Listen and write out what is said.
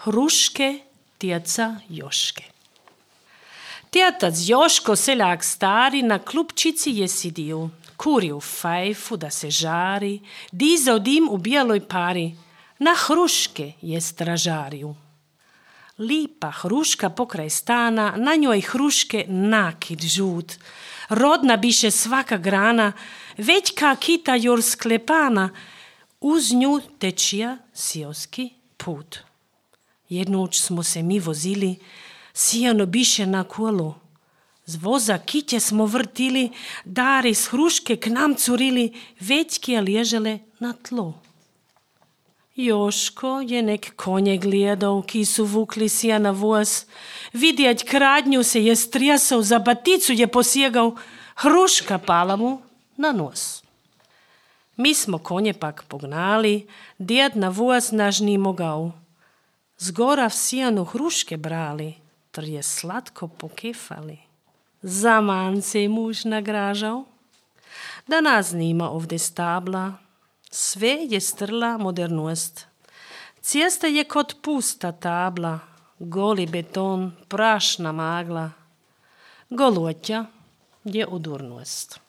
Hruške tjeca Joške. Tjetac Joško, seljak stari, na klupčici je sidio. Kurio fajfu da se žari, dizao dim u bijeloj pari, na hruške je stražariju. Lipa hruška pokraj stana, na njoj hruške nakit žut. Rodna biše svaka grana, većka kita jor sklepana, uz nju tečija sioski put. Jednoć smo se mi vozili, sijano biše na kolo. Z voza kitje smo vrtili, dari s hruške k nam curili, većke ležele na tlo. Joško je nek konje gledal, ki su vukli sija na voz. Vidjeć kradnju se je strijasao, za baticu je posjegal, hruška pala mu na nos. Mi smo konje pak pognali, djed na voz naš ni mogao. Zgora v sijanu hruške brali, tr je slatko pokefali. Zaman se je muž nagražal, da nas nima ovdje stabla. Sve je strla modernost. Cesta je kot pusta tabla, goli beton, prašna magla. Golotja je udurnost.